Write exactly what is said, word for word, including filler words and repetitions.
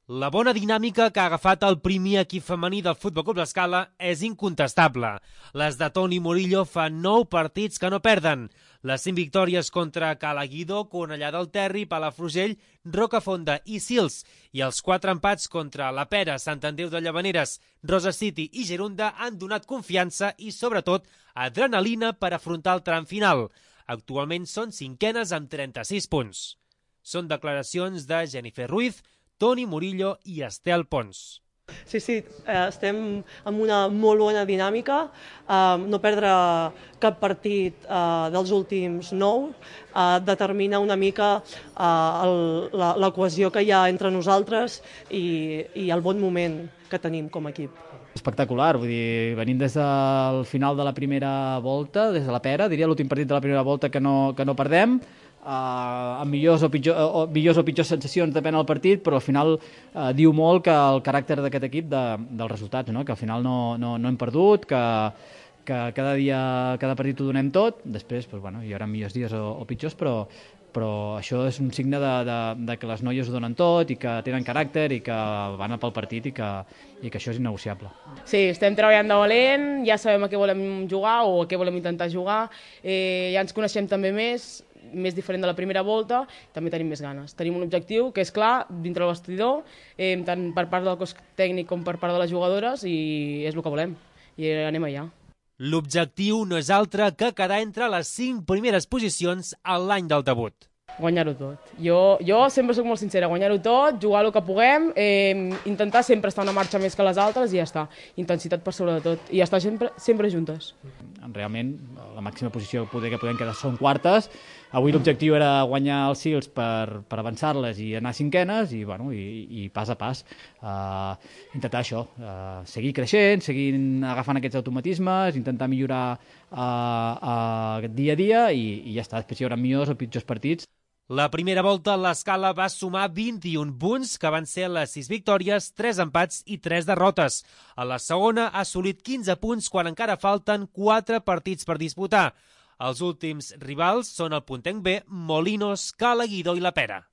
La bona dinàmica que ha agafat el primer equip femení del Futbol Club L'Escala és incontestable. Les de Toni Murillo fa nou partits que no perden. Les cinc victòries contra Calaguidó, Cornellà del Terri, Palafrugell, Rocafonda i Sils i els quatre empats contra La Pera, Sant Andreu de Llavaneres, Rosa City i Gerunda han donat confiança i, sobretot, adrenalina per afrontar el tram final. Actualment són cinquenes amb trenta-sis punts. Són declaracions de Jennifer Ruiz, Toni Murillo i Estel Pons. Sí, sí, estem amb una molt bona dinàmica, no perdre cap partit dels últims nou determina una mica la cohesió que hi ha entre nosaltres i el bon moment que tenim com a equip. Espectacular, vull dir, venim des del final de la primera volta, des de la Pera, diria l'últim partit de la primera volta que no, que no perdem, Uh, amb millors o, pitjor, o, millors o pitjors sensacions, depèn del partit, però al final uh, diu molt que el caràcter d'aquest equip de, dels resultats, no? Que al final no, no, no hem perdut, que, que cada dia, cada partit ho donem tot, després pues, bueno, hi haurà millors dies o, o pitjors, però, però això és un signe de, de, de que les noies ho donen tot i que tenen caràcter i que van a pel partit i que, i que això és innegociable. Sí, estem treballant de valent, ja sabem a què volem jugar o a què volem intentar jugar, eh, ja ens coneixem també més, més diferent de la primera volta, també tenim més ganes. Tenim un objectiu que és clar, dintre del vestidor, eh, tant per part del cos tècnic com per part de les jugadores, i és el que volem, i anem allà. L'objectiu no és altre que quedar entre les cinc primeres posicions a l'any del debut. Guanyar-ho tot. Jo, jo sempre soc molt sincera, guanyar-ho tot, jugar el que puguem, eh, intentar sempre estar una marxa més que les altres i ja està. Intensitat per sobre de tot. I estar sempre, sempre juntes. Realment, la màxima posició poder que podem quedar són quartes. Avui l'objectiu era guanyar els Sils per, per avançar-les i anar a cinquenes i, bueno, i, i pas a pas uh, intentar això, uh, seguir creixent, seguir agafant aquests automatismes, intentar millorar uh, uh, dia a dia i, i ja està. Després hi haurà millors o pitjors partits. La primera volta l'Escala va sumar vint-i-un punts, que van ser les sis victòries, tres empats i tres derrotes. A la segona ha assolit quinze punts quan encara falten quatre partits per disputar. Els últims rivals són el Puntenc B, Molinos, Calaguidó i La Pera.